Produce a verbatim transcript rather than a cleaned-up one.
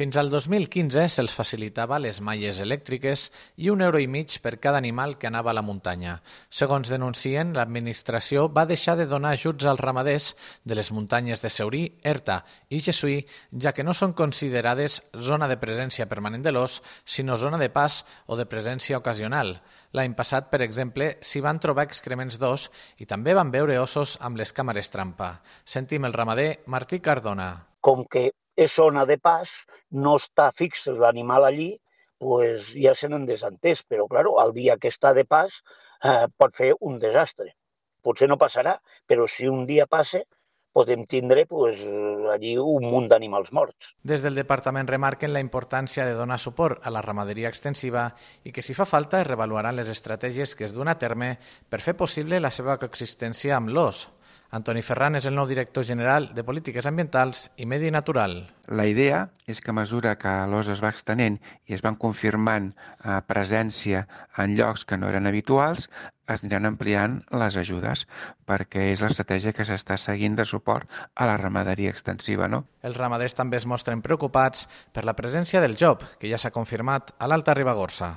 Fins al dos mil quinze se'ls facilitava les malles elèctriques i un euro i mig per cada animal que anava a la muntanya. Segons denuncien, l'administració va deixar de donar ajuts als ramaders de les muntanyes de Seurí, Erta i Gesuí, ja que no són considerades zona de presència permanent de l'ós, sinó zona de pas o de presència ocasional. L'any passat, per exemple, s'hi van trobar excrements d'ós i també van veure ossos amb les càmeres trampa. Sentim el ramader Martí Cardona. Com que és zona de pas, no està fix l'animal allí, pues ja se n'han desentès, però claro, el dia que està de pas eh, pot fer un desastre. Potser no passarà, però si un dia passa, podem tindre pues, allí un munt d'animals morts. Des del departament remarquen la importància de donar suport a la ramaderia extensiva i que si fa falta es revaluaran les estratègies que es duen a terme per fer possible la seva coexistència amb l'ós. Antoni Ferran és el nou director general de Polítiques Ambientals i Medi Natural. La idea és que a mesura que l'ós es va extenent i es van confirmant eh, presència en llocs que no eren habituals, es aniran ampliant les ajudes, perquè és l'estratègia que s'està seguint de suport a la ramaderia extensiva, no? Els ramaders també es mostren preocupats per la presència del job, que ja s'ha confirmat a l'Alta Ribagorça.